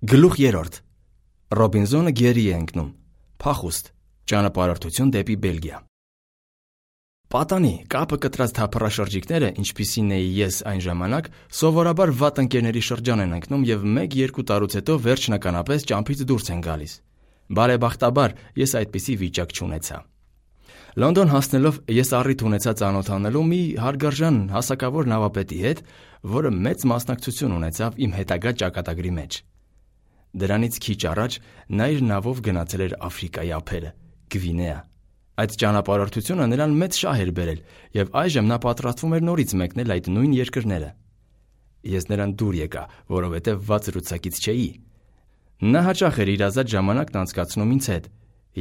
Գլուխ 3. Ռոբինզոնը գերի է ընկնում։ Փախուստ. ճանապարհորդություն դեպի Բելգիա։ Պատանի կապը կտրած թափառաշրջիկները, ինչպիսին էի ես այն ժամանակ, սովորաբար վատ ընկերների շրջան են ընկնում եւ 1-2 տարուց հետո վերջնականապես ճամփից դուրս են գալիս։ Բարեբախտաբար ես այդպիսի վիճակ չունեցա։ Լոնդոն հասնելով ես առիթ ունեցա ծանոթանալու մի հարգարժան հասակավոր նավապետի հետ, որը մեծ մասնակցություն ունեցավ իմ հետագա ճակատագրի մեջ։ Դրանից քիչ առաջ նա իր նավով գնացել էր Աֆրիկայի ափերը, Գվինեա։ Այդ ճանապարհորդությունը նրան մեծ շահ էր բերել, եւ այժմ նա պատրաստվում էր նորից մեկնել այդ նույն երկրները։ Ես նրան դուր եկա, որովհետեւ վատ զրուցակից չէի։ Նա հաճախ էր իր ազատ ժամանակն անցկացնում ինձ հետ,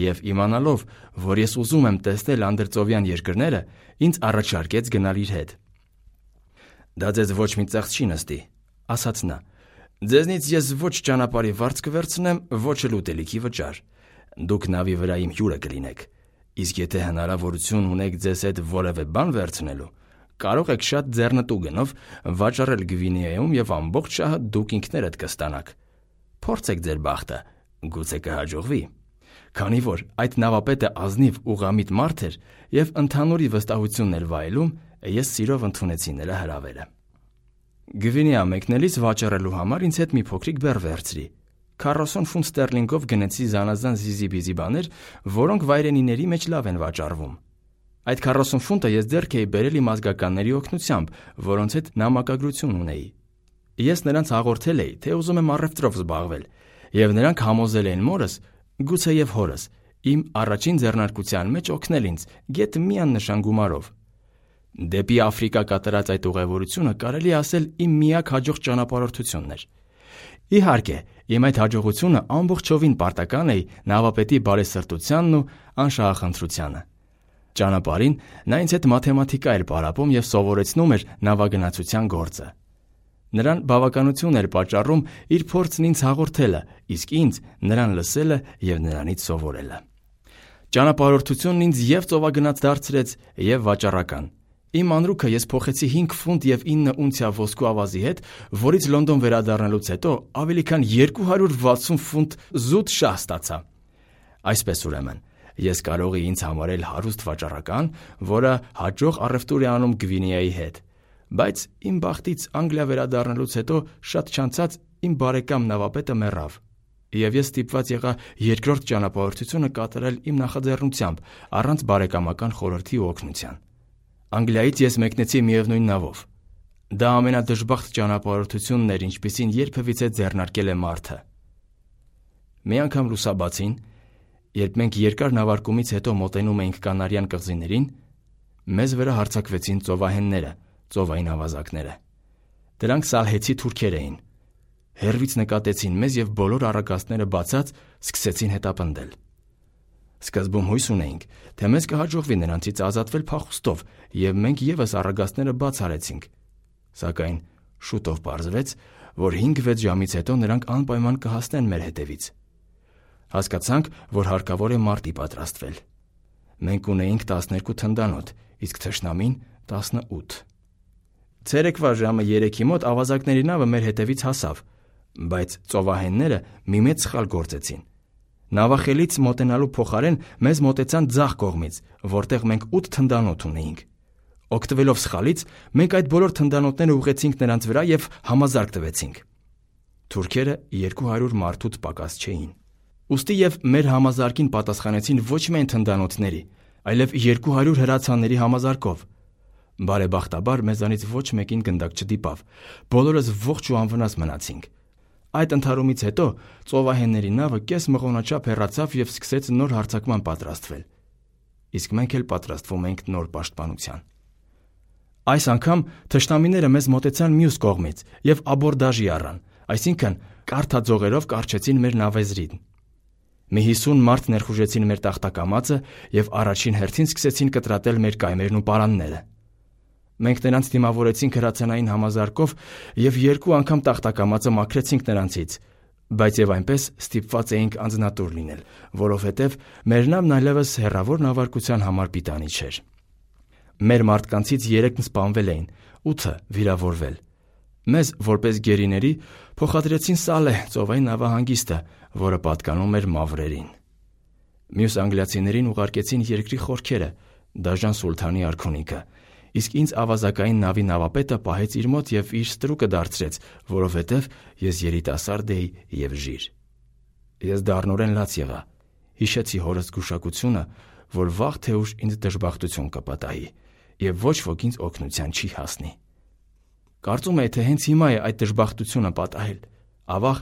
եւ իմանալով, որ ես ուզում եմ տեսնել անդրծովյան երկրները, ինձ առաջարկեց գնալ իր հետ։ Դա ձեզ ոչ մի ծախս չի նստի, ասաց նա։ Ձեզնից ես ոչ ճանապարհի վարձ կվերցնեմ, ոչ էլ ուտելիքի վճար։ Դուք նավի վրա իմ հյուրը կլինեք։ Իսկ եթե հնարավորություն ունեք ձեզ հետ որևէ բան վերցնելու, կարող եք շատ ձեռնտու գնով վաճառել Գվինեայում եւ ամբողջ շահը դուք ինքներդ կստանաք։ Փորձեք ձեր բախտը, գուցե կհաջողվի։ Քանի որ այդ նավապետը ազնիվ ուղղամիտ մարդ էր եւ ընդհանուրի վստահությունն էր վայելում, ես սիրով ընդունեցի նրա հրավերը։ Գվինեա մեկնելիս վաճառելու համար ինձ հետ մի փոքրիկ բեռ վերցրի։ 40 ֆունտ ստերլինգով գնեցի զանազան զիզի-բիզի բաներ, որոնք վայրենիների մեջ լավ են վաճառվում։ Այդ 40 ֆունտը ես ձեռք էի բերել իմ ազգականների օգնությամբ, որոնց հետ նամակագրություն ունեի։ Ես նրանց հաղորդել էի, թե ուզում եմ առևտրով զբաղվել, եւ նրանք համոզել էին մորս, գուցեև հորս, իմ առաջին ձեռնարկության մեջ օգնել ինձ գեթ մի աննշան գումարով։ Դեպի Աֆրիկա կատարած այդ ուղևորությունը կարելի ասել իմ միակ հաջող ճանապարհորդությունն էր։ Իհարկե, իմ այդ հաջողությունը ամբողջովին պարտական է նավապետի բարեսրտությանն ու անշահախնդրությանը։ Ճանապարհին նա ինձ հետ մաթեմատիկա էր պարապում եւ սովորեցնում էր նավագնացության գործը։ Նրան բավականություն էր պատճառում իր փորձն ինձ հաղորդելը, իսկ ինձ նրան լսելը եւ նրանից սովորելը։ Ճանապարհորդությունն ինձ եւ ծովագնաց դարձրեց եւ վաճառական։ Իմ անրուքը ես փոխեցի 5 ֆունտ եւ 9 ունցիա ոսկու ավազի հետ, որից Լոնդոն վերադառնալուց հետո ավելի քան 260 ֆունտ զուտ շահ ստացա։ Այսպես ուրեմն, ես կարող էի ինձ համարել հարուստ վաճառական, որը հաջող առևտուր է անում Գվինեայի հետ, բայց իմ բախտից Անգլիա վերադառնալուց հետո շատ չանցած իմ բարեկամ նավապետը մեռավ, եւ ես ստիպված եղա երկրորդ ճանապարհորդությունը կատարել իմ նախաձեռնությամբ, առանց բարեկամական խորհրդի ու օգնության։ Անգլիայից ես մեկնեցի միևնույն նավով։ Դա ամենադժբախտ ճանապարհորդությունն էր, ինչպիսին երբևիցե ձեռնարկել է մարդը։ Մի անգամ լուսաբացին, երբ մենք երկար նավարկումից հետո մոտենում էինք Կանարյան կղզիներին, մեզ վրա հարձակվեցին ծովահենները, ծովային ավազակները։ Դրանք սալհեցի թուրքեր էին։ Հեռվից նկատեցին մեզ եւ բոլոր առագաստները բացած սկսեցին հետապնդել։ Սկզբում հույս ունեինք, թե մեզ կհաջողվի նրանցից ազատվել փախուստով, եւ մենք եւս առագաստները բաց արեցինք։ Սակայն շուտով պարզվեց, որ 5-6 ժամից հետո նրանք անպայման կհասնեն մեր հետևից։ Հասկացանք, որ հարկավոր է մարտի պատրաստվել։ Մենք ունեինք 12 թնդանոթ, իսկ թշնամին 18։ Ցերեկվա ժամը 3-ի մոտ ավազակների նավը մեր հետևից հասավ, բայց ծովահենները մի մեծ սխալ գործեցին։ Նավախելից մոտենալու փոխարեն մեզ մոտեցան ձախ կողմից, որտեղ մենք 8 թնդանոթ ունեինք։ Օգտվելով սխալից, մենք այդ բոլոր թնդանոթները ուղղեցինք նրանց վրա եւ համազարկ տվեցինք։ Թուրքերը 200 մարդուց պակաս չէին։ Ուստի եւ մեր համազարկին պատասխանեցին ոչ միայն թնդանոթների, այլև 200 հրացանների համազարկով։ Բարեբախտաբար մեզանից ոչ մեկին գնդակ չդիպավ։ Բոլորս ողջ ու անվնաս մնացինք։ Այդ ընդհարումից հետո ծովահենների նավը կես մղոնաչափ հեռացավ եւ սկսեց նոր հարձակման պատրաստվել։ Իսկ մենք էլ պատրաստվում էինք նոր պաշտպանության։ Այս անգամ թշնամիները մեզ մոտեցան մյուս կողմից եւ աբորդաժի առան, այսինքն կարթաձողերով կարճեցին մեր նավեզրին։ Մի 50 մարդ ներխուժեցին մեր տախտակամածը եւ առաջին հերթին սկսեցին կտրատել մեր կայմերն ու պարանները։ Մենք նրանց դիմավորեցինք հրացանային համազարկով եւ 2 անգամ տախտակամածը մաքրեցինք նրանցից, բայց եւ այնպես ստիպված էինք անձնատուր լինել, որովհետեւ մեր նավն այլևս հեռավոր նավարկության համար պիտանի չէր։ Մեր մարդկանցից 3-ն սպանվել էին, 8-ը վիրավորվել։ Մեզ, որպես գերիների, փոխադրեցին Սալեհ ծովային նավահանգիստը, որը պատկանում էր մավրերին։ Մյուս անգլիացիներին ուղարկեցին երկրի խորքերը, դաժան սուլթանի արքունիքը, իսկ ինձ ավազակային նավի նավապետը պահեց իր մոտ և իր ստրուկը դարձրեց, որովհետև ես երիտասարդ էի և ժիր։ Ես դառնորեն լաց եղա, հիշեցի հորս զգուշակությունը, որ վաղ թե ուշ ինձ դժբախտություն կպատահի, և ոչ ոք ինձ օգնության չի հասնի։ Կարծում էի, թե հենց հիմա է այդ դժբախտությունը պատահել։ Ավաղ,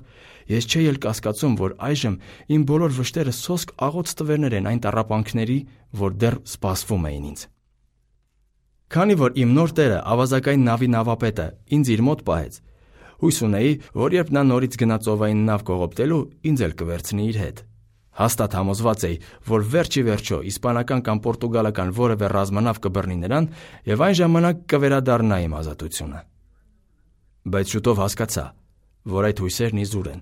ես չէի էլ կասկածում, որ այժմ իմ բոլոր վշտերը սոսկ աղոց տվերներ են այն տառապանքների, որ դեռ սպասվում էին ինձ։ Քանի որ իմ նոր տերը, ավազակային նավի նավապետը, ինձ իր մոտ պահեց, հույս ունեի, որ երբ նա նորից գնա ծովային նավ կողոպտելու, ինձ էլ կվերցնի իր հետ։ Հաստատ համոզված էի, որ վերջ ի վերջո իսպանական կամ պորտուգալական որևէ ռազմանավ կբռնի նրան և այն ժամանակ կվերադառնա իմ ազատությունը։ Բայց շուտով հասկացա, որ այդ հույսերն իզուր են,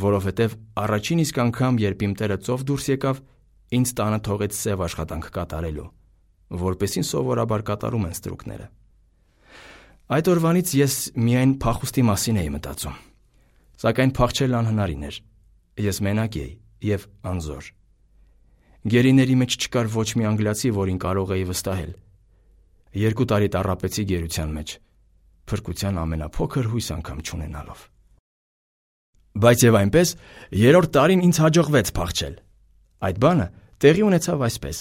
որովհետև առաջին իսկ անգամ, երբ իմ տերը ծով դուրս եկավ, ինձ տանը թողեց սև աշխատանք կատարելու, որպեսզի սովորաբար կատարում են ստրուկները։ Այդ օրվանից ես միայն փախուստի մասին էի մտածում, սակայն փախչել անհնարին էր։ Ես մենակ էի և անզոր։ Գերիների մեջ չկար ոչ մի անգլիացի, որին կարող էի վստահել։ 2 տարի տառապեցի գերության մեջ, փրկության ամենափոքր հույս անգամ չունենալով։ Բայց եւ այնպես, 3-րդ տարին ինձ հաջողվեց փախչել։ Այդ բանը տեղի ունեցավ այսպես.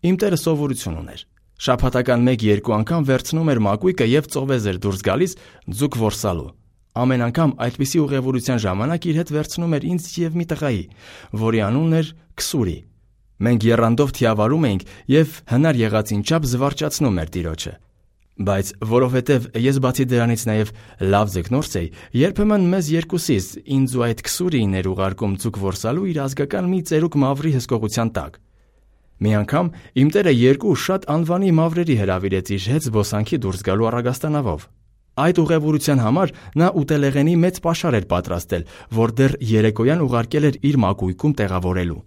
Իմ տերը սովորություն ուներ։ Շաբաթական 1-2 անգամ վերցնում էր մակույկը եւ ծովեզ էր դուրս գալիս ձուկ որսալու։ Ամեն անգամ այդպիսի ուղևորության ժամանակ իր հետ վերցնում էր ինձ եւ մի տղայի, որի անունն էր Քսուրի։ Մենք եռանդով թիավարում էինք եւ հնար եղածին չափ զվարճացնում էր տիրոջը։ Բայց որովհետև ես բացի դրանից նաև լավ ձկնորս էի, երբեմն մեզ երկուսիս ինձ ու այդ Քսուրիին էր ուղարկում ձուկ որսալու իր ազգական մի ծերուկ մավրի հսկողության տակ։ Մի անգամ իմ տերը 2 շատ անվանի մավրերի հրավիրեց իր հետ զբոսանքի դուրս գալու առագաստանավով։ Այդ ուղևորության համար նա ուտելեղենի մեծ պաշար էր պատրաստել, որ դեռ երեկոյան ուղարկել էր իր մակույկում տեղավորելու։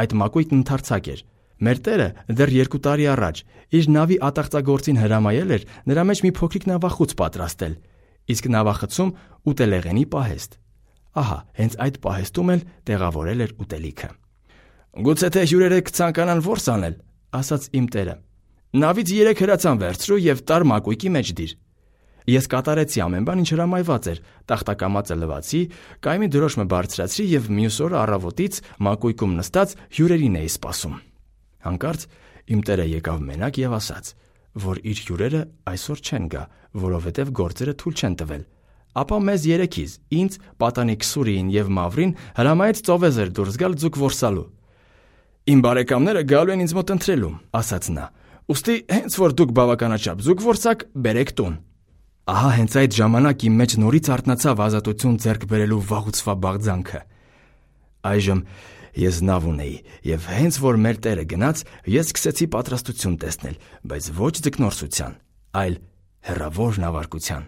Այդ մակույկն ընդարձակ էր։ Մեր տերը դեռ 2 տարի առաջ իր նավի ատաղծագործին հրամայել էր նրա մեջ մի փոքրիկ նավախոց պատրաստել, իսկ նավախցում ուտելեղենի պահեստ։ Ահա, հենց այդ պահեստում էլ տեղավորել էր ուտելիքը։ Գուցե թե հյուրերը կցանկանան որս անել, ասաց իմ տերը։ Նավից 3 հրացան վերցրու եւ տար մակույկի մեջ դիր։ Ես կատարեցի ամեն բան, ինչ հրամայված էր, տախտակամածը լվացի, կայմի դրոշմը բարձրացրի եւ մյուս օրը առավոտից մակույկում նստած հյուրերին էի սպասում։ Հանկարծ իմ տերը եկավ մենակ եւ ասաց, որ իր հյուրերը այսօր չեն գա, որովհետեւ գործերը թույլ չեն տվել։ Ապա մեզ 3-ից, ինձ, պատանի Քսուրիին եւ Մավրին հրամայեց ծովեզեր դուրս գալ ձուկ որսալու։ Իմ բարեկամները գալու են ինձ մոտ ընթրելու, ասաց նա։ Ուստի հենց որ դուք բավականաչափ ձուկ որսաք, բերեք տուն։ Ահա հենց այդ ժամանակ իմ մեջ նորից արթնացավ ազատություն ձեռք բերելու վաղուց բաղձանքը։ Այժմ ես նավ ունեի եւ հենց որ մեր տերը գնաց, ես սկսեցի պատրաստություն տեսնել, բայց ոչ ձկնորսության, այլ հեռավոր նավարկության։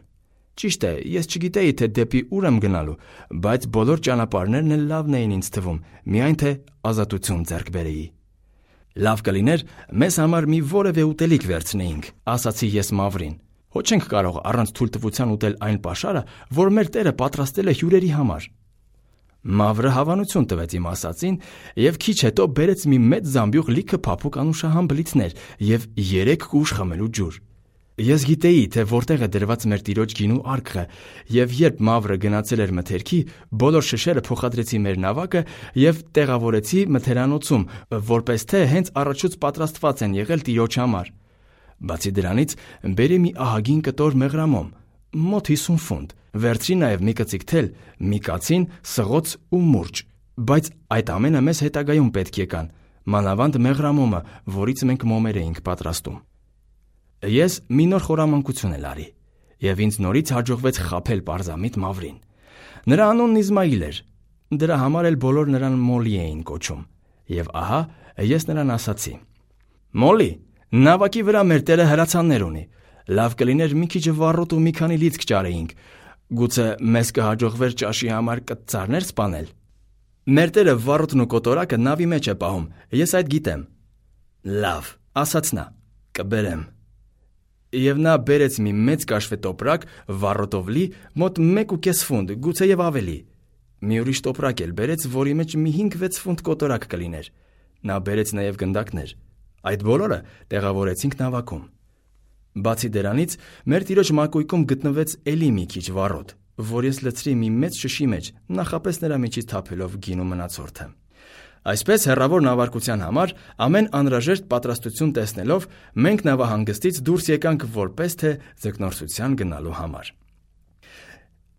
Ճիշտ է, ես չգիտեի թե դեպի ուր եմ գնալու, բայց բոլոր ճանապարհներն էլ լավն էին ինձ թվում, միայն թե ազատություն ձեռք բերեի։ Լավ կլիներ մեզ համար մի որևէ ուտելիք վերցնեինք, ասացի ես Մավրին։ Ոչ չենք կարող առանց թույլտվության ուտել այն պաշարը, որ մեր տերը պատրաստել է հյուրերի համար։ Մավրը հավանություն տվեց իմ ասածին եւ քիչ հետո բերեց մի մեծ զամբյուղ լիքը փափուկ անուշահամ բլիթներ եւ 3 կուժ խմելու ջուր։ Ես գիտեի, թե որտեղ է դրված մեր տիրոջ գինու արկղը, եւ երբ Մավրը գնացել էր մթերքի, բոլոր շշերը փոխադրեցի մեր նավակը եւ տեղավորեցի մթերանոցում, որպես թե հենց առաջուց պատրաստված են եղել տիրոջ համար։ Բացի դրանից, բերի մի ահագին կտոր մեղրամոմ, մոտ 50 ֆունտ, վերցրի նաև մի կծիկ թել, մի կացին, սղոց ու մուրճ, բայց այդ ամենը մեզ հետագայում պետք եկան, մանավանդ մեղրամոմը, որից մենք մոմեր էինք պատրաստում։ Ես մի նոր խորամանկություն էլ արի, եւ ինձ նորից հաջողվեց խաբել պարզամիտ Մավրին։ Նրա անունն Իսմայիլ էր, դրա համար էլ բոլոր նրան Մոլի էին կոչում, եւ ահա ես նրան ասացի. Մոլի, նավակի վրա մեր տերը հրացաններ ունի, լավ կլիներ մի քիչ վառոտ ու մի քանի լիցք ճարեինք, գուցե մեզ կհաջողվեր ճաշի համար կտցարներ սպանել։ Մեր տերը վառոտն ու կոտորակը նավի մեջ է պահում, ես այդ գիտեմ։ Լավ, ասաց նա, կբերեմ։ Եվ նա բերեց մի մեծ կաշվե տոպրակ վառոտով լի, մոտ 1.5 ֆունտ, գուցե եւ ավելի։ Մի ուրիշ տոպրակ էլ բերեց, որի մեջ մի 5-6 ֆունտ կոտորակ կլիներ։ Նա բերեց նաեւ գնդակներ։ Այդ բոլորը տեղավորեցինք նավակում։ Բացի դրանից, մեր տիրոջ մակույկում գտնվեց էլի մի քիչ վառոտ, որ ես լցրի մի մեծ շշի մեջ, նախապես նրա միջից թափելով գինու մնացորդը։ Այսպես հեռավոր նավարկության համար ամեն անհրաժեշտ պատրաստություն տեսնելով մենք նավահանգստից դուրս եկանք որպես թե ձկնորսության գնալու համար։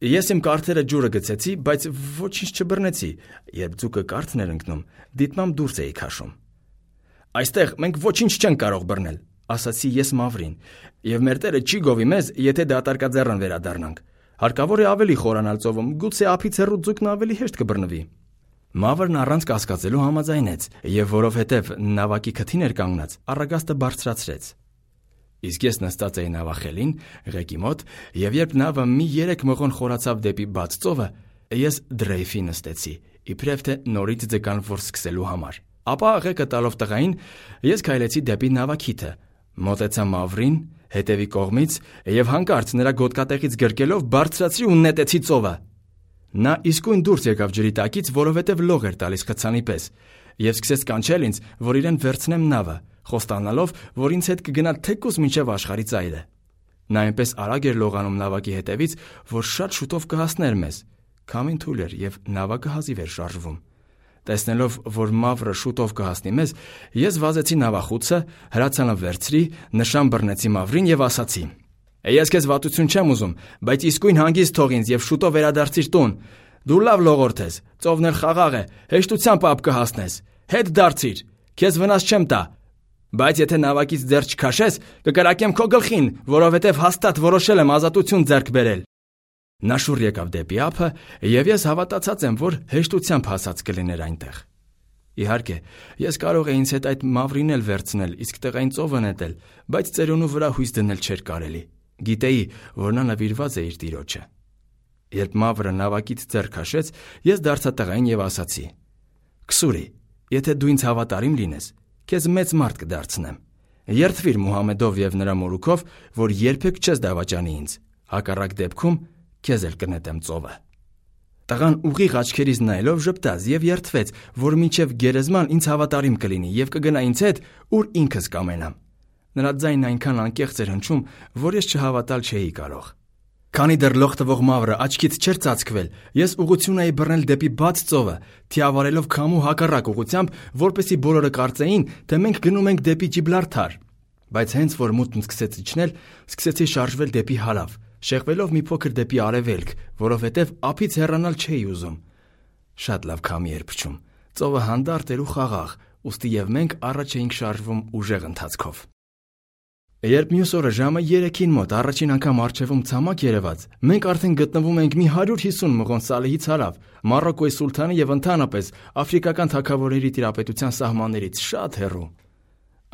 Ես իմ կարթերը ջուրը գցեցի, բայց ոչինչ չբռնեցի, երբ ձուկը կարթն էր ընկնում, դիտմամբ դուրս էի քաշում։ Այստեղ մենք ոչինչ չենք կարող բռնել, ասացի ես Մավրին, եւ մեր Տերը չի գովի մեզ, եթե դատարկաձեռն վերադառնանք։ Հարկավոր է ավելի խորանալ ծովում, գուցե ափից հեռու ձուկն ավելի հեշտ կբռնվի։ Մավրն առանց կասկածելու համաձայնեց, եւ որովհետեւ նավակի քթին էր կանգնած, առագաստը բարձրացրեց։ Իսկ ես նստած էի նավախելին, ղեկի մոտ, եւ երբ նավը մի 3 մղոն խորացավ դեպի բաց ծովը, ես դրեյֆի նստեցի, իբրև թե նորից ձկան որ սկսելու համար։ Ապա ղեկը տալով տղային, ես քայլեցի դեպի նավակիթը, մոտեցա Մավրին, հետևի կողմից եւ հանկարծ նրա գոտկատեղից գրկելով բարձրացրի ու նետեցի ծովը։ Նա իսկույն դուրս եկավ ջրի տակից, որովհետև լող էր տալիս խցանի պես, եւ սկսեց կանչել ինձ, որ իրեն վերցնեմ նավը, խոստանալով, որ ինձ հետ կգնա թեկուզ մինչև աշխարհի ծայրը։ Նա այնպես արագ էր լողանում նավակի հետևից, որ շատ շուտով կհասներ մեզ։ Քամին թույլ էր եւ նավակը հազիվ էր շարժվում։ Տեսնելով, որ Մավրը շուտով կհասնի մեզ, ես վազեցի նավախուցը, հրացանը վերցրի, նշան բռնեցի Մավրին եւ ասացի. Ես քեզ վատություն չեմ ուզում, բայց իսկույն հանգիստ թող ինձ եւ շուտով վերադարձիր տուն։ Դու լավ լողորդ ես, ծովն էլ խաղաղ է, հեշտությամբ ապ կհասնես։ Հետ դարձիր, քեզ վնաս չեմ տա։ Բայց եթե նավակից ձեռ չքաշես, կկրակեմ քո գլխին, որովհետեւ հաստատ որոշել եմ ազատություն ձեռք բերել։ Նա շուռ եկավ դեպի ափը, եւ ես հավատացած եմ, որ հեշտությամբ հասած կլիներ այնտեղ։ Իհարկե, ես կարող էի ինձ հետ այդ Մավրին էլ վերցնել, իսկ տղային ծովը նետել, բայց ծերունու վրա հույս դնել չէր կարելի։ Գիտեի, որ նա նվիրված է իր տիրոջը։ Երբ Մավրը նավակից ձեռ քաշեց, ես դարձա տղային եւ ասացի. Քսուրի, եթե դու ինձ հավատարիմ լինես, քեզ մեծ մարդ կդարձնեմ։ Երդվիր Մուհամեդով եւ նրա մորուքով, որ երբեք չես դավաճանի ինձ։ Հակառակ դեպքում քեզ էլ կնետեմ ծովը։ Տղան ուղիղ աչքերից նայելով ժպտաց եւ երդվեց, որ մինչեւ գերեզման ինձ հավատարիմ կլինի եւ կգնա ինձ հետ, ուր ինքս կամենամ։ Նրա ձայնն այնքան անկեղծ էր հնչում, որ ես չհավատալ չէի կարող։ Քանի դեռ լող տվող Մավրը աչքից չէր ծածկվել, ես ուղղություն էի բռնել դեպի բաց ծովը, թիավարելով քամու հակառակ ուղղությամբ, որպեսզի բոլորը կարծեին, թե մենք գնում ենք դեպի Ջիբլարթար։ Բայց հենց որ մութն սկսեց իջնել, սկսեցի շարժվել դեպի հարավ, շեղվելով մի փոքր դեպի արևելք, որովհետև ափից հեռանալ չէի ուզում։ Շատ լավ քամի էր փչում, ծովը հանդարտ էր ու խաղաղ, ուստի եւ մենք առաջ էինք շարժվում ուժեղ ընթացքով։ Երբ մյուս օրը ժամը 3-ին մոտ առաջին անգամ առջևում ցամաք երևաց, մենք արդեն գտնվում ենք մի 150 մղոն Սալեհից հարավ, Մարոկոյի սուլթանի եւ ընդհանրապես աֆրիկական թագավորների տիրապետության սահմաններից շատ հեռու։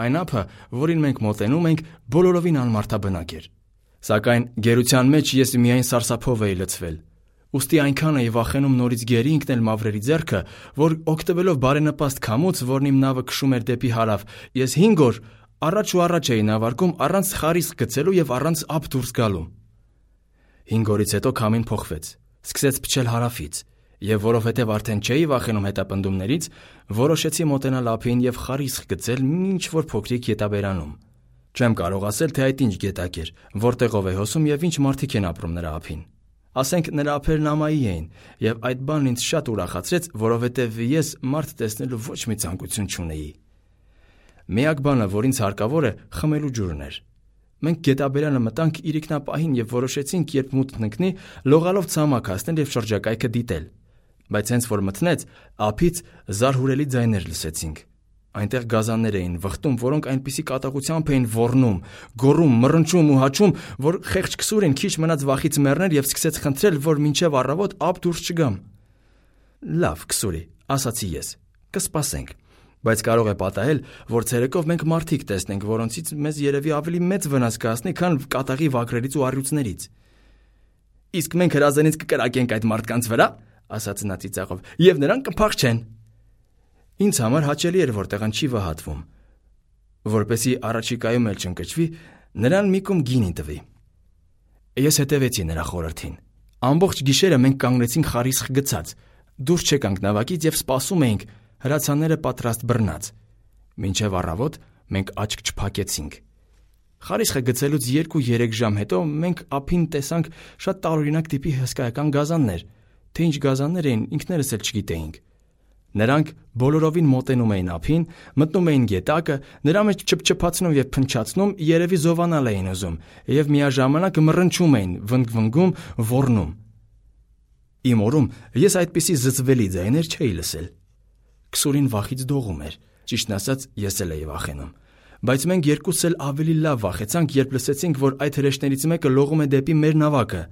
Այն ափը, որին մենք մոտենում ենք, բոլորովին անմարդաբնակ էր։ Սակայն գերության մեջ ես միայն սարսափով էի լցվել։ Ուստի այնքան էի վախենում նորից գերի ընկնել Մավրերի ձեռքը, որ օգտվելով բարենպաստ քամուց, որն իմ նավը քշում էր դեպի հարավ, ես 5 օր առաջ ու առաջ էի նավարկում առանց խարիսկ գցելու եւ առանց ափ դուրս գալու։ 5 օրից հետո քամին փոխվեց, սկսեց փչել հարավից, եւ որովհետեւ արդեն չէի վախենում հետապնդումներից, որոշեցի մոտենալ ափին եւ խարիսկ գցել ինչ որ փոքրիկ ետաբերանում։ Չեմ կարող ասել, թե այդ ինչ գետակ էր, որտեղով է հոսում եւ ինչ մարդիկ են ապրում նրա ափին։ Ասենք նրա ափերն ամայի էին, եւ այդ բանն ինձ շատ ուրախացրեց, որովհետեւ ես մարդ տեսնելու ոչ մի ցանկություն չունեի։ Միակ բանը, որ ինձ հարկավոր է, խմելու ջուրն էր։ Մենք գետաբերանը մտանք իրիկնապահին եւ որոշեցինք, երբ մութն ընկնի, լողալով ցամաք հասնել եւ շրջակայքը դիտել։ Բայց հենց որ մտնեց, ափից զարհուրելի ձայներ լսեցինք։ Այնտեղ գազաններ էին վխտում, որոնք այնպիսի կատաղությամբ էին ոռնում, գոռում, մռնչում ու հաչում, որ խեղճ քսուրին քիչ մնաց վախից մեռներ եւ սկսեց խնդրել, որ մինչեւ առավոտ ափ դուրս չգամ։ Լավ, քսուրի, ասացի ես, կսպասենք, բայց կարող է պատահել, որ ցերեկով մենք մարդիկ տեսնենք, որոնցից մեզ երևի ավելի մեծ վնաս կհասնի, քան կատաղի վագրերից ու առյուծներից։ Իսկ մենք հրազենից կկրակենք այդ մարդկանց վրա, ասաց նա ծիծաղով, եւ նրանք կփախչեն։ Ինձ համար հաճելի էր, որ տեղան չի վհատվում։ Որպեսզի առաջիկայում էլ չընկճվի, Նրան մի կում գինի տվի։ Ես հետևեցի նրա խորհրդին։ Ամբողջ գիշերը մենք կանգնեցինք խարիսխ գցած, դուրս չեկանք նավակից եւ սպասում էինք հրացանները պատրաստ բռնած։ Մինչև առավոտ մենք աչք չփակեցինք։ Խարիսխը գցելուց 2-3 ժամ հետո մենք ափին տեսանք շատ տարօրինակ տիպի հսկայական գազաններ, թե ինչ գազաններ էին ինքներս էլ չգիտեինք։ Նրանք բոլորովին մոտենում էին ափին, մտնում էին գետակը, նրա մեջ չփչփացնում եւ փնչացնում, երևի զովանալ էին ուզում, եւ միաժամանակ մռնչում էին, վնգվնգում, ոռնում։ Իմ օրում ես այդպիսի զզվելի ձայներ չէի լսել։ Քսուրին վախից դողում էր, ճիշտն ասած, ես էլ էի վախենում։ Բայց մենք երկուսս էլ ավելի լավ վախեցանք, երբ լսեցինք, որ այդ հրեշներից մեկը լողում է դեպի մեր նավակը։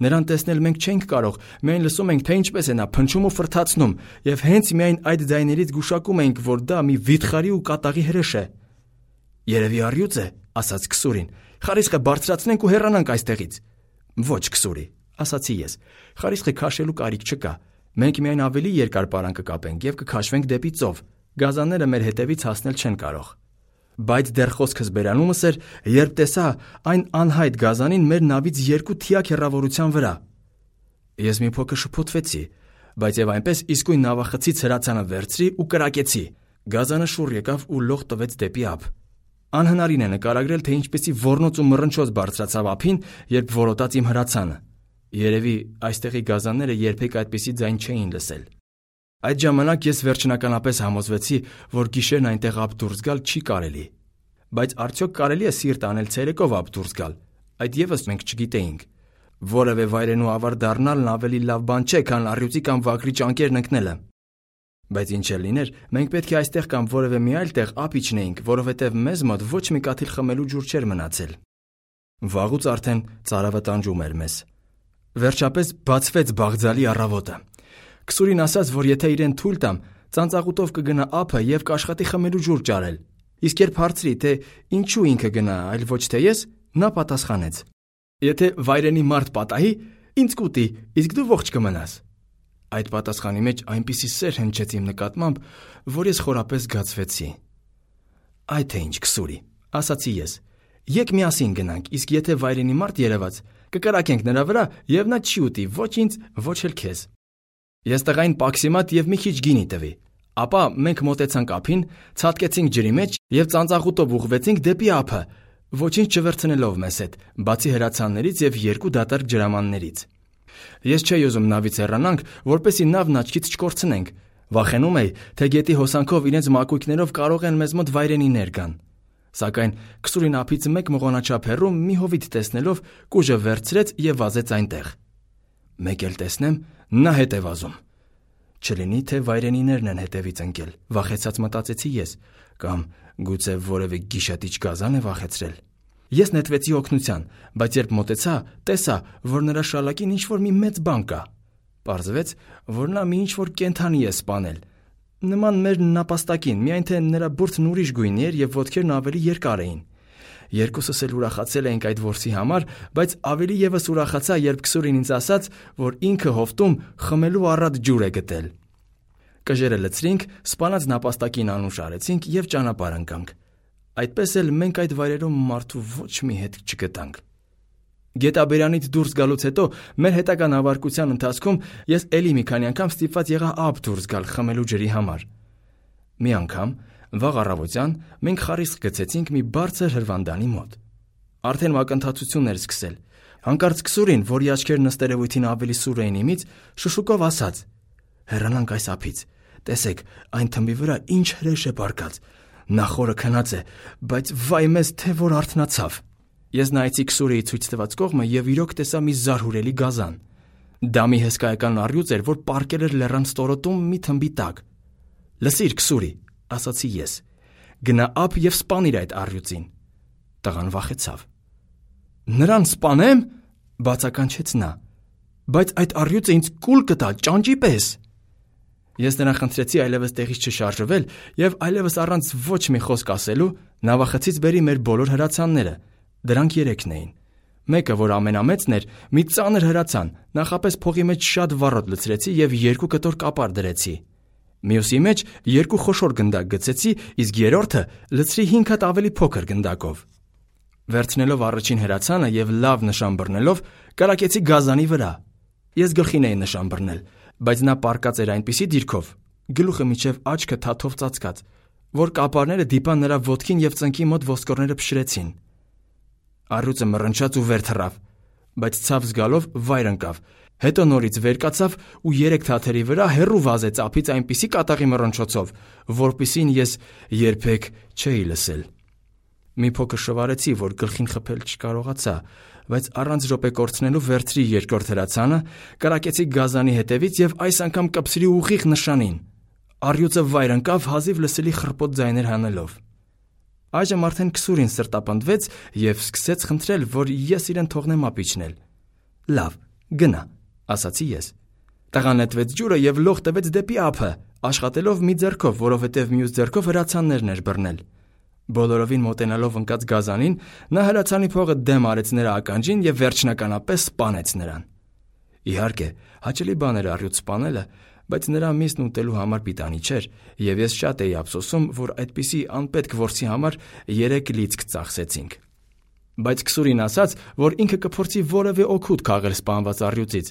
Նրան տեսնել մենք չենք կարող, միայն լսում ենք, թե ինչպես է նա փնչում ու ֆրթացնում, եւ հենց միայն այդ ձայներից գուշակում ենք, որ դա մի վիթխարի ու կատաղի հրեշ է։ Երևի առյուծ է, ասաց Քսուրին։ Խարիսխը բարձրացնենք ու հեռանանք այստեղից։ Ոչ, Քսուրի, ասացի ես։ Խարիսխը քաշելու կարիք չկա։ Մենք միայն ավելի երկար պարան կկապենք եւ կքաշվենք դեպի ծով։ Գազանները մեր հետևից հասնել չեն կարող։ Բայց դեռ խոսքս բերանումս էր, երբ տեսա այն անհայտ գազանին մեր նավից 2 թիակ հեռավորության վրա։ Ես մի փոքր շփոթվեցի, բայց եւ այնպես իսկույն նավախցից հրացանը վերցրի ու կրակեցի։ Գազանը շուռ եկավ ու լող տվեց դեպի ափ։ Անհնարին է նկարագրել, թե ինչպեսի ոռնոց ու մռնչոց բարձրացավ ափին, երբ որոտաց իմ հրացանը։ Երևի այստեղի գազանները երբեք այդպիսի ձայն չէին լսել։ Այդ ժամանակ ես վերջնականապես համոզվեցի, որ գիշերն այնտեղ ափ դուրս գալ չի կարելի։ Բայց արդյոք կարելի է սիրտ անել ցերեկով ափ դուրս գալ։ Այդ եւս մենք չգիտեինք։ Որևէ վայրենու ավար դառնալն ավելի լավ բան չէ, քան առյուծի կամ վագրի ճանկերն ընկնելը։ Բայց ինչ էլ լիներ, մենք պետք է այստեղ կամ որևէ մի այլ տեղ ափ իջնեինք, որովհետև մեզ մոտ ոչ մի կաթիլ խմելու ջուր չէր մնացել։ Վաղուց արդեն ծարավը տանջում էր մեզ։ Վերջապես բացվեց Բաղձալի առավոտը։ Քսուրին ասաց, որ եթե իրեն թույլ տամ, ծանծաղուտով կգնա ափը եւ կաշխատի խմելու ջուր ճարել։ Իսկ երբ հարցրի, թե ինչու ինքը գնա, այլ ոչ թե ես, նա պատասխանեց. Եթե վայրենի մարդ պատահի, ինձ կուտի, իսկ դու ողջ կմնաս։ Այդ պատասխանի մեջ այնպիսի սեր հնչեց իմ նկատմամբ, որ ես խորապես գացվեցի։ Այ թե ինչ, Քսուրի, ասացի ես։ Եկ միասին գնանք, իսկ եթե վայրենի մարդ երևաց, կկրակենք նրա վրա եւ նա չի ուտի ոչ ինձ, ոչ էլ քեզ։ Ես տղային պաքսիմատ եւ մի քիչ գինի տվի։ Ապա մենք մոտեցանք ափին, ցատկեցինք ջրի մեջ եւ ծանծաղուտով ուղղվեցինք դեպի ափը, ոչինչ չվերցնելով մեզ հետ, բացի հրացաններից եւ 2 դատարկ ջրամաններից։ Ես չէի ուզում նավից հեռանանք, որպեսզի նավն աչքից չկորցնենք։ Վախենում էի, թե գետի հոսանքով իրենց մակույկներով կարող են մեզ մոտ վայրենիներ գան։ Սակայն Քսուրին ափից 1 մղոնաչափ հեռու մի հովիտ տեսնելով կուժը վերցրեց եւ վազեց այնտեղ։ Մեկ էլ տեսնեմ, նա հետ է վազում։ Չլինի, թե վայրենիներն են հետևից ընկել, վախեցած մտածեցի ես, կամ գուցե որևէ գիշատիչ գազան է վախեցրել։ Ես նետվեցի օգնության, բայց երբ մոտեցա, տեսա, որ նրա շալակին ինչ-որ մի մեծ բան կա։ Պարզվեց, որ նա մի ինչ-որ կենդանի է սպանել։ Նման մեր նապաստակին, միայն թե նրա բուրդն ուրիշ գույնի էր եւ ոտքերն ավելի երկար էին։ Երկուսս էլ ուրախացել էինք այդ որսի համար, բայց ավելի եւս ուրախացա, երբ Քսուրին ինձ ասաց, որ ինքը հովտում խմելու առատ ջուր է գտել։ Կժերը լցրինք, սպանած նապաստակին անուշ արեցինք եւ ճանապարհ ընկանք։ Այդպես էլ մենք այդ վայրերում մարդու ոչ մի հետ չգտանք։ Գետաբերանից դուրս գալուց հետո մեր հետագա նավարկության ընթացքում ես էլի մի քանի անգամ ստիպված եղա ափ դուրս գալ խմելու ջրի համար։ Մի անգամ վաղ առավոտյան մենք խարիսխ գցեցինք մի բարձր հրվանդանի մոտ։ Արդեն մակընթացությունն էր սկսել։ Հանկարծ Քսուրին, որի աչքերն ըստ երևույթին ավելի սուր էին իմից, շշուկով ասաց. «Հեռանանք այս ափից։ Տեսեք, այն թմբի վրա ինչ հրեշ է պառկած։ Նա խորը քնած է, բայց վայ մեզ, թե որ արթնացավ»։ Ես նայեցի Քսուրիի ցույց տված կողմը եւ իրոք տեսա մի զարհուրելի գազան։ Դա մի հսկայական առյուծ էր, որ պառկել էր լեռան ստորոտում մի թմբի տակ։ «Լսիր, Քսուրի», ասացի ես, «գնա ափ եւ սպանիր այդ առյուծին»։ Տղան վախեցավ։ «Նրան սպանեմ», բացականչեց նա, «բայց այդ առյուծը ինձ կուլ կտա ճանճի պես»։ Ես նրան խնդրեցի այլևս տեղից չշարժվել եւ այլևս առանց ոչ մի խոսք ասելու նավախցից բերի մեր բոլոր հրացանները։ Դրանք 3-ն էին։ Մեկը, որ ամենամեծն էր, մի ծանր հրացան, նախապես փողի մեջ շատ վառոդ լցրեցի եւ 2 կտոր կապար դրեցի։ Մյուսի մեջ 2 խոշոր գնդակ գցեցի, իսկ երրորդը լցրի 5 հատ ավելի փոքր գնդակով։ Վերցնելով առաջին հրացանը եւ լավ նշան բռնելով, կրակեցի գազանի վրա։ Ես գլխին էի նշան բռնել, բայց նա պառկած էր այնպիսի դիրքով, գլուխը միջև աչքը թաթով ծածկած, որ կապարները դիպան նրա ոտքին եւ ծնկի մոտ ոսկորները փշրեցին։ Առյուծը մռնչաց ու վեր թռավ, բայց ցավ զգալով վայր ընկավ։ Հետո նորից վեր կացավ ու 3 թաթերի վրա հեռու վազեց ափից այնպիսի կատաղի մռնչոցով, որպիսին ես երբեք չէի լսել։ Մի փոքր շվարեցի, որ գլխին խփել չկարողացա, բայց առանց րոպե կորցնելու վերցրի երկրորդ հրացանը, կրակեցի գազանի հետևից եւ այս անգամ կպցրի ուղիղ նշանին։ Առյուծը վայր ընկավ հազիվ լսելի խռպոտ ձայներ հանելով։ Այժմ արդեն Քսուրին սրտապնդվեց եւ սկսեց խնդրել, որ ես իրեն թողնեմ ապիչնել։ Լավ, գնա, ասացի ես։ Տղան նետվեց ջուրը եւ լող տվեց դեպի ափը, աշխատելով մի ձեռքով, որովհետեւ մյուս ձեռքով հրացաններն էր բռնել։ Բոլորովին մոտենալով ընկած գազանին, նա հրացանի փողը դեմ արեց նրա ականջին եւ վերջնականապես սպանեց նրան։ Իհարկե, հաճելի բան էր առյուծ սպանելը, բայց նրա միսն ուտելու համար պիտանի չէր, եւ ես շատ էի ափսոսում, որ այդպիսի անպետք որսի համար 3 լիցք ծախսեցինք։ Բայց Քսուրին ասաց, որ ինքը կփորձի որևէ օգուտ քաղել սպանված առյուծից,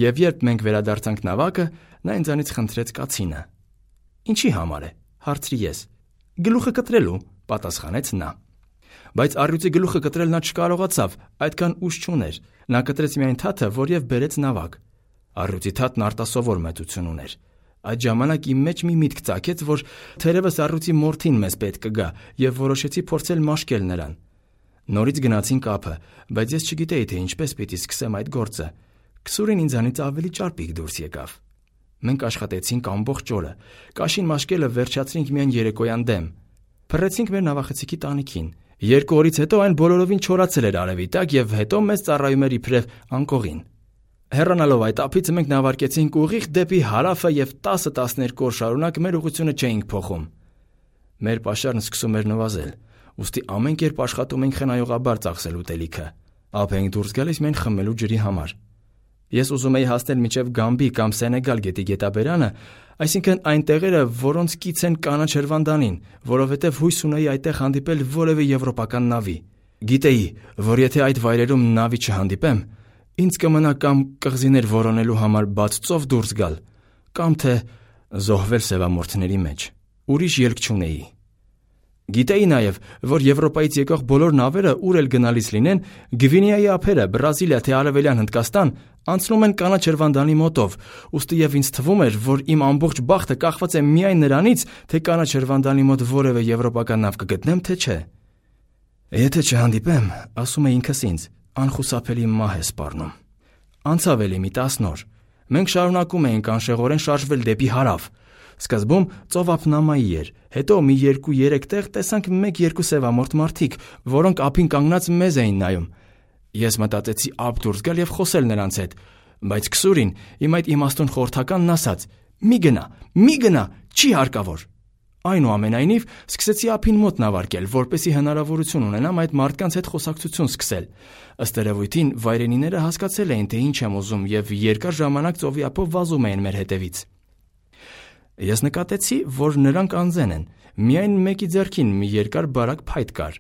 եւ երբ մենք վերադարձանք նավակը, նա ինձանից խնդրեց կացինը։ Ինչի համար է, հարցրի ես։ Գլուխը կտրելու, պատասխանեց նա։ Բայց առյուծի գլուխը կտրել նա չկարողացավ, այդքան ուժ չուներ։ Նա կտրեց միայն թաթը, որև բերեց նավակ։ Առյուծի թաթն արտասովոր մեծություն ուներ։ Այդ ժամանակ իմ մեջ մի միտք ծագեց, որ թերևս առյուծի մորթին մեզ պետք կգա, եւ որոշեցի փորձել մաշկել նրան։ Նորից գնացինք ափը, բայց ես չգիտեի, թե ինչպես պիտի սկսեմ այդ գործը։ Քսուրին ինձանից ավելի ճարպիկ դուրս եկավ։ Մենք աշխատեցինք ամբողջ օրը։ Կաշին մաշկելը վերջացրինք միայն երեկոյան դեմ։ Փռեցինք մեր նավախցիկի տանիքին։ 2 օրից հետո այն բոլորովին չորացել էր արևի տակ եւ հետո մեզ ծառայում էր իբրև անկողին։ Հեռանալով այդ ափից մենք նավարկեցինք ուղիղ դեպի հարավը եւ 10-12 օր շարունակ մեր ուղղությունը չէինք փոխում։ Մեր պաշարն սկսում էր նվազել, ուստի ամեն կերպ աշխատում ենք խնայողաբար ծախսել ուտելիքը։ Ափ ենք դուրս գալիս միայն խմելու ջրի համար։ Ես ուզում էի հասնել մինչև Գամբի կամ Սենեգալ գետի գետաբերանը, այսինքն այն տեղերը, որոնց կից են կանաչ հրվանդանին, որովհետև հույս ունեի այդտեղ հանդիպել որևէ եվրոպական նավի։ Գիտեի, որ եթե այդ վայրերում նավի չհանդիպեմ, ինձ կմնա կամ կղզիներ որոնելու համար բաց ծով դուրս գալ, կամ թե զոհվել սևամորթների մեջ։ Ուրիշ ելք չունեի։ Գիտեի նաև, որ Եվրոպայից եկող բոլոր նավերը ուր էլ գնալիս լինեն, Գվինեայի ափերը, Բրազիլիա թե Արևելյան Հնդկաստան անցնում են կանաչ հրվանդանի մոտով, ուստի եւ ինձ թվում էր, որ իմ ամբողջ բախտը կախված է միայն նրանից, թե կանաչ հրվանդանի մոտ որևէ եվրոպական նավ կգտնեմ, թե չէ։ Եթե չհանդիպեմ, ասում էի ինքս ինձ, անխուսափելի մահ է սպառնում։ Անցավ էլի մի 10 օր։ Մենք շարունակում էինք անշեղորեն շարժվել դեպի հարավ։ Սկզբում ծովափնամայի էր, հետո մի 2-3 տեղ տեսանք 1-2 սևամորթ մարդիկ, որոնք ափին կանգնած մեզ էին նայում։ Ես մտածեցի ափ դուրս գալ եւ խոսել նրանց հետ, բայց Քսուրին իմ այդ իմաստուն խորհրդականն ասաց. «Մի գնա, չի հարկավոր»։ Այնուամենայնիվ, սկսեցի ափին մոտ նավարկել, որպեսզի հնարավորություն ունենամ այդ մարդկանց հետ խոսակցություն սկսել։ Ըստ երևույթին, վայրենիները հասկացել էին, թե ինչ եմ ուզում եւ երկար ժամանակ ծովի ափով վազում էին մեր հետևից։ Ես նկատեցի, որ նրանք անզեն են, միայն մեկի ձեռքին մի երկար բարակ փայտ կար։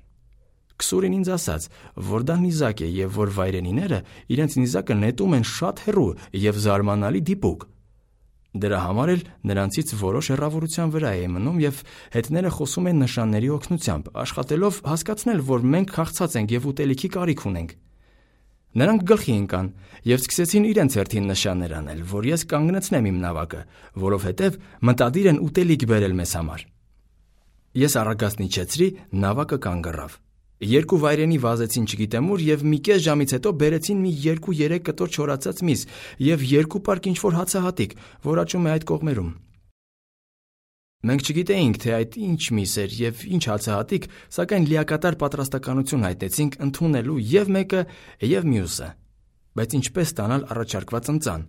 Քսուրին ինձ ասաց, որ դա նիզակ է եւ որ վայրենիները իրենց նիզակը նետում են շատ հեռու եւ զարմանալի դիպուկ։ Դրա համար էլ նրանցից որոշ հեռավորության վրա է մնում եւ հետները խոսում են նշանների օգնությամբ, աշխատելով հասկացնել, որ մենք քաղցած ենք եւ ուտելիքի կարիք ունենք։ Նրանք գլխի ընկան եւ սկսեցին իրենց հերթին նշաններ անել, որ ես կանգնեցնեմ իմ նավակը, որովհետեւ մտադիր են ուտելիք բերել մեզ համար։ Ես առագաստ իջեցրի, նավակը կանգ առավ։ 2 վայրենի վազեցին չգիտեմ ուր եւ մի կես ժամից հետո բերեցին մի 2-3 կտոր չորացած միս եւ 2 պարկ ինչ-որ հացահատիկ, որ աճում է այդ կողմերում։ Մենք չգիտեինք, թե այդ ինչ միս էր եւ ինչ հացահատիկ, սակայն լիակատար պատրաստականություն հայտնեցինք ընդունելու եւ մեկը եւ մյուսը։ Բայց ինչպես ստանալ առաջարկված ընծան։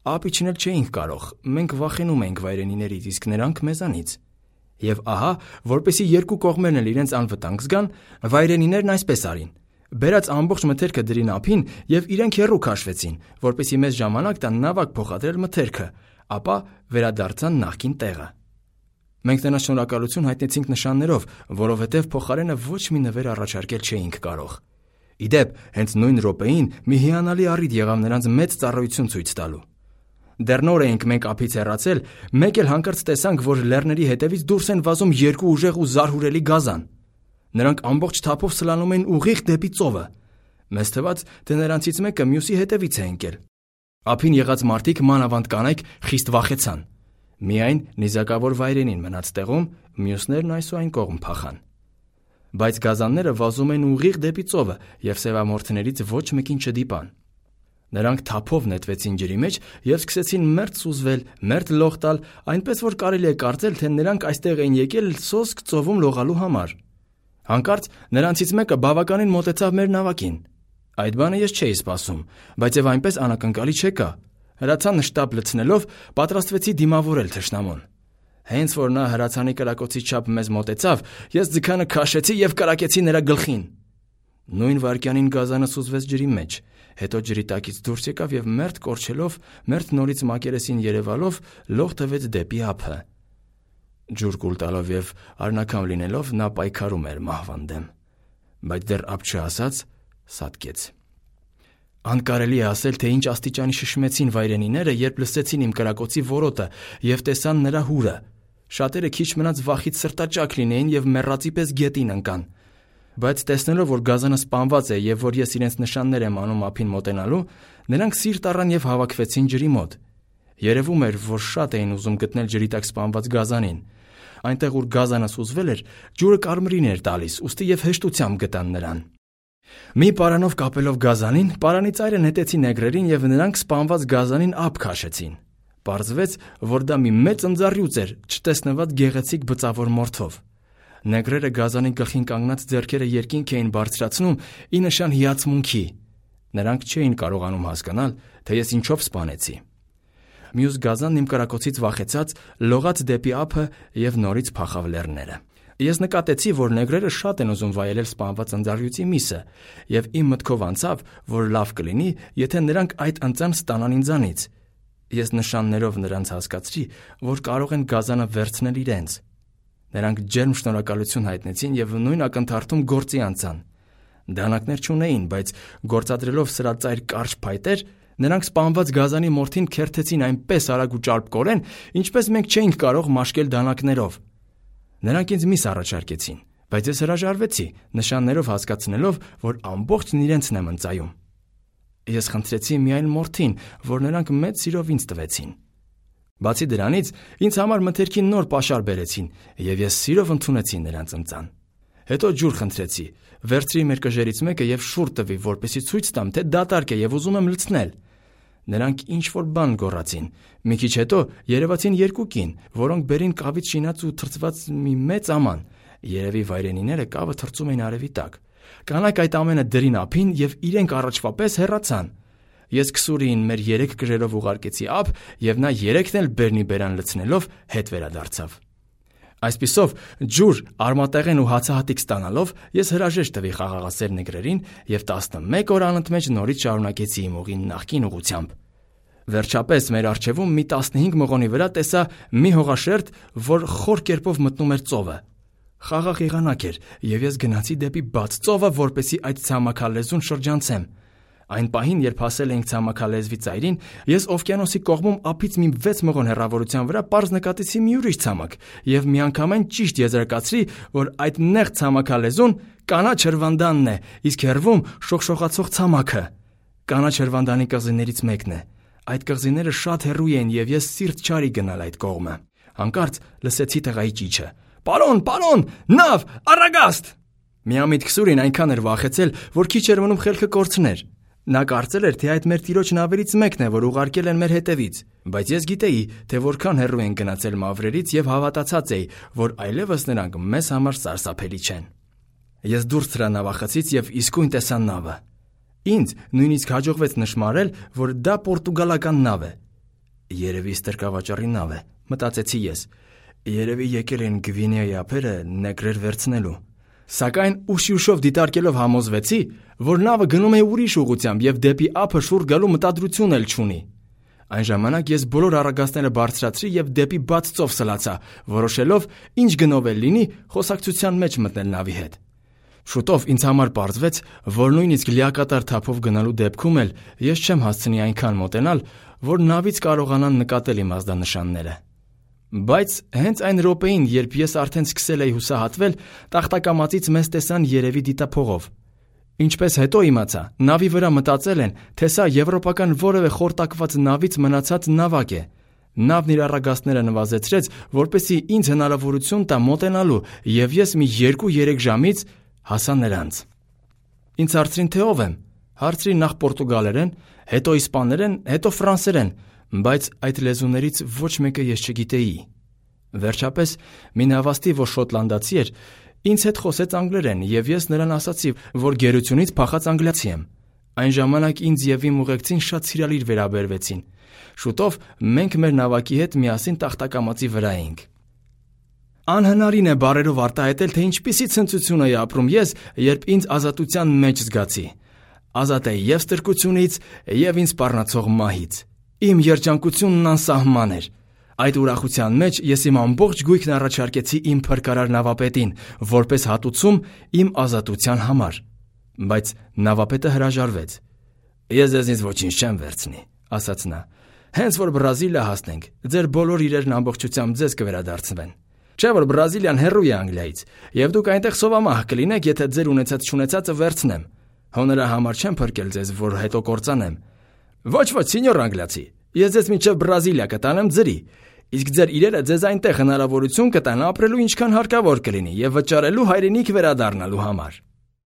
Ափ իջնել չէինք կարող, մենք վախենում էինք վայրենիներից, իսկ նրանք մեզանից։ Եվ ահա, որպեսզի 2 կողմերն էլ իրենց անվտանգ զգան, վայրենիներն այսպես արին. բերած ամբողջ մթերքը դրին ափին եւ իրենք հեռու քաշվեցին, որպեսզի մեզ ժամանակ տան նավակ փոխադրել մթերքը, ապա վերադարձան նախկին տեղը։ Մենք նրան շնորհակալություն հայտնեցինք նշաններով, որովհետև փոխարենը ոչ մի նվեր առաջարկել չէինք կարող։ Ի դեպ, հենց նույն րոպեին մի հիանալի առիթ եղավ նրանց մեծ ծառայություն ցույց տալու։ Դեռ նոր էինք մենք ափից հեռացել, մեկ էլ հանկարծ տեսանք, որ լեռների հետևից դուրս են վազում երկու ուժեղ ու զարհուրելի գազան։ Նրանք ամբողջ թափով սլանում էին ուղիղ դեպի ծովը։ Մեզ թվաց, թե նրանցից մեկը մյուսի հետևից է ընկել։ Ափին եղած մարդիկ, մանավանդ կանայք, խիստ վախեցան։ Միայն նիզակավոր վայրենին մնաց տեղում, մյուսներն այսուայն կողմ փախան։ Բայց գազանները վազում էին ուղիղ դեպի ծովը և սևամորթներից ոչ մեկին չդիպան։ Նրանք թափով նետվեցին ջրի մեջ և սկսեցին մերթ սուզվել, մերթ լող տալ, այնպես որ կարելի է կարծել, թե նրանք այստեղ էին եկել սոսկ ծովում լողալու համար։ Հանկարծ նրանցից մեկը բավականին մոտեցավ մեր նավակին։ Այդ բանը ես չէի սպասում, բայց եւ այնպես անակնկալի չեկա։ Հրացանը շտապ լցնելով պատրաստվեցի դիմավորել թշնամուն։ Հենց որ նա հրացանի կրակոցի չափ մեզ մոտեցավ, ես ձգանը քաշեցի եւ կրակեցի նրա գլխին։ Նույն վայրկյանին գազանը սուզվեց ջրի մեջ, հետո ջրի տակից դուրս եկավ եւ մերթ կորչելով, մերթ նորից մակերեսին երևալով լող տվեց դեպի ափը։ Ջուր կուլ տալով եւ արնակամ լինելով նա պայքարում էր մահվան դեմ, բայց դեռ ափ չհասած սատկեց։ Անկարելի է ասել, թե ինչ աստիճանի շշմեցին վայրենիները, երբ լսեցին իմ կրակոցի որոտը եւ տեսան նրա հուրը։ Շատերը քիչ մնաց վախից սրտաճաք լինեին եւ մեռածի պես գետին ընկան։ Բայց տեսնելով, որ գազանը սպանված է եւ որ ես իրենց նշաններ եմ անում ափին մոտենալու, նրանք սիրտ առան եւ հավաքվեցին ջրի մոտ։ Երևում էր, որ շատ էին ուզում գտնել ջրի տակ սպանված գազանին։ Այնտեղ, ուր գազանը սուզվել էր, ջուրը կարմրին էր տալիս, ուստի եւ հեշտությամբ գտան նրան։ Մի պարանով կապելով գազանին, պարանի ծայրը նետեցին նեգրերին եւ նրանք սպանված գազանին ափ քաշեցին։ Պարզվեց, որ դա մի մեծ ընձառյուծ էր, չտեսնված գեղեցիկ բծավոր մորթով։ Նեգրերը գազանի գլխին կանգնած ձեռքերը երկինք էին բարձրացնում ի նշան հիացմունքի։ Նրանք չէին կարողանում հասկանալ, թե ես ինչով սպանեցի։ Մյուս գազանն իմ կրակոցից վախեցած լողաց դեպի ափը եւ նորից փախավ լեռները։ Ես նկատեցի, որ նեգրերը շատ են ուզում վայելել սպանված ընձառյուծի միսը, եւ իմ մտքով անցավ, որ լավ կլինի, եթե նրանք այդ ընծան ստանան ինձանից։ Ես նշաններով նրանց հասկացրի, որ կարող են գազանը վերցնել իրենց։ Նրանք ջերմ շնորհակալություն հայտնեցին եւ նույն ակնթարթում գործի անցան։ Դանակներ չունեին, բայց գործադրելով սրածայր կարճ փայտեր, նրանք սպանված գազանի մորթին քերթեցին այնպես արագ ու ճարպկորեն, ինչպես մենք չէինք կարող մաշկել դանակներով։ Նրանք ինձ միս առաջարկեցին, բայց ես հրաժարվեցի, նշաններով հասկացնելով, որ ամբողջն իրենցն եմ ընծայում։ Ես խնդրեցի միայն մորթին, որ նրանք մեծ սիրով ինձ տվեցին։ Բացի դրանից, ինձ համար մթերքին նոր պաշար բերեցին, եւ ես սիրով ընդունեցի նրանց ընծան։ Հետո ջուր խնդրեցի, վերցրի մեր կժերից մեկը եւ շուռ տվի, որպեսզի ցույց տամ, թե դատարկ է եւ ուզում եմ լցնել։ Նրանք ինչ-որ բան գոռացին։ Մի քիչ հետո երևացին երկու կին, որոնք բերին կավից շինած ու թրծված մի մեծ աման։ Երևի վայրենիները կավը թրծում էին արևի տակ։ Կանայք այդ ամենը դրին ափին եւ իրենք առաջվա պես հեռացան։ Ես քսուրին մեր 3 կժերով ուղարկեցի ափ եւ նա 3-ն էլ բերնի բերան լցնելով հետ վերադարձավ։ Այսպիսով, ջուր, արմատեղեն ու հացահատիկ ստանալով, ես հրաժեշտ տվի խաղաղասեր նեգրերին եւ 11 օր անընդմեջ նորից շարունակեցի իմ ուղին նախկին ուղությամբ։ Վերջապես մեր առջևում մի 15 մղոնի վրա տեսա մի հողաշերտ, որ խոր կերպով մտնում էր ծովը։ Խաղաղ եղանակ էր եւ ես գնացի դեպի բաց ծովը, որպեսզի այդ ցամաքալեզուն շրջանցեմ։ Այն պահին, երբ հասել էինք ցամաքալեզվի ծայրին, ես օվկիանոսի կողմում ափից մի 6 մղոն հեռավորության վրա պարզ նկատեցի մի ուրիշ ցամաք եւ միանգամայն ճիշտ եզրակացրի, որ այդ նեղ ցամաքալեզուն կանաչ հրվանդանն է, իսկ հեռվում շողշողացող ցամաքը։ Կանաչ հրվանդանի կղզիներից մեկն է։ Այդ կղզիները շատ հեռու են եւ ես սիրտ չարի գնալ այդ կողմը։ Հանկարծ լսեցի տղայի ճիչը. «Պարոն, նավ, առագաստ»։ Միամիտ քսուրին այնքան էր վախեցել, որ քիչ էր մնում խելքը կորցներ։ Նա կարծել էր, թե այդ մեր տիրոջ նավերից մեկն է, որ ուղարկել են մեր հետևից, բայց ես գիտեի, թե որքան հեռու են գնացել մավրերից եւ հավատացած էի, որ այլևս նրանք մեզ համար սարսափելի չեն։ Ես դուրս թռա նավախցից եւ իսկույն տեսա նավը։ Ինձ նույնիսկ հաջողվեց նշմարել, որ դա պորտուգալական նավ է։ Երևի ստրկավաճառի նավ է, մտածեցի ես։ Երևի եկել են Գվինեայի ափերը նեգրեր վերցնելու։ Սակայն ուշ-ուշով դիտարկելով համոզվեցի, որ նավը գնում է ուրիշ ուղղությամբ եւ դեպի ափը շուռ գալու մտադրություն էլ չունի։ Այն ժամանակ ես բոլոր առագաստները բարձրացրի եւ դեպի բաց ծով սլացա, որոշելով ինչ գնով էլ լինի խոսակցության մեջ մտնել նավի հետ։ Շուտով ինձ համար պարզվեց, որ նույնիսկ լիակատար թափով գնալու դեպքում էլ ես չեմ հասցնի այնքան մոտենալ, որ նավից կարողանան նկատել իմ ազդանշանները։ Բայց հենց այն րոպեին, երբ ես արդեն սկսել էի հուսահատվել, տախտակամածից մեզ տեսան երևի դիտափողով։ Ինչպես հետո իմացա, նավի վրա մտածել են, թե սա եվրոպական որևէ խորտակված նավից մնացած նավակ է։ Նավն իր առագաստները նվազեցրեց, որպեսզի ինձ հնարավորություն տա մոտենալու, եւ ես մի 2-3 ժամից հասա նրանց։ Ինձ հարցրին, թե ով եմ։ Հարցրի նախ պորտուգալերեն, հետո իսպաներեն, հետո ֆրանսերեն, բայց այդ լեզուներից ոչ մեկը ես չգիտեի։ Վերջապես մի նավաստի, որ շոտլանդացի էր, ինձ հետ խոսեց անգլերեն, եւ ես նրան ասացի, որ գերությունից փախած անգլիացի եմ։ Այն ժամանակ ինձ եւ իմ ուղեկցին շատ սիրալիր վերաբերվեցին։ Շուտով մենք մեր նավակի հետ միասին տախտակամածի վրա էինք։ Անհնարին է բառերով արտահայտել, թե ինչպիսի ցնծություն էի ապրում ես, երբ ինձ ազատության մեջ զգացի։ Ազատ էի եւ ստրկությունից, եւ ինձ սպառնացող մահից։ Իմ երջանկությունն անսահման էր։ Այդ ուրախության մեջ ես իմ ամբողջ գույքն առաջարկեցի իմ փրկարար նավապետին, որպես հատուցում իմ ազատության համար։ Բայց նավապետը հրաժարվեց։ Ես ձեզնից ոչինչ չեմ վերցնի, ասաց նա։ Հենց որ Բրազիլիա հասնենք, ձեր բոլոր իրերն ամբողջությամբ ձեզ կվերադարձվեն։ Չէ՞ որ Բրազիլիան հեռու է Անգլիայից, եւ դուք այնտեղ սովամահ կլինեք, եթե ձեր ունեցած-չունեցածը վերցնեմ։ Հո նրա համար չեմ փրկել ձեզ, որ հետո կործանեմ։ Ոչ, սենյոր անգլիացի, ես ձեզ մինչև Բրազիլիա կտանեմ ձրի, իսկ ձեր իրերը ձեզ այնտեղ հնարավորություն կտան ապրելու ինչքան հարկավոր կլինի եւ վճարելու հայրենիք վերադառնալու համար։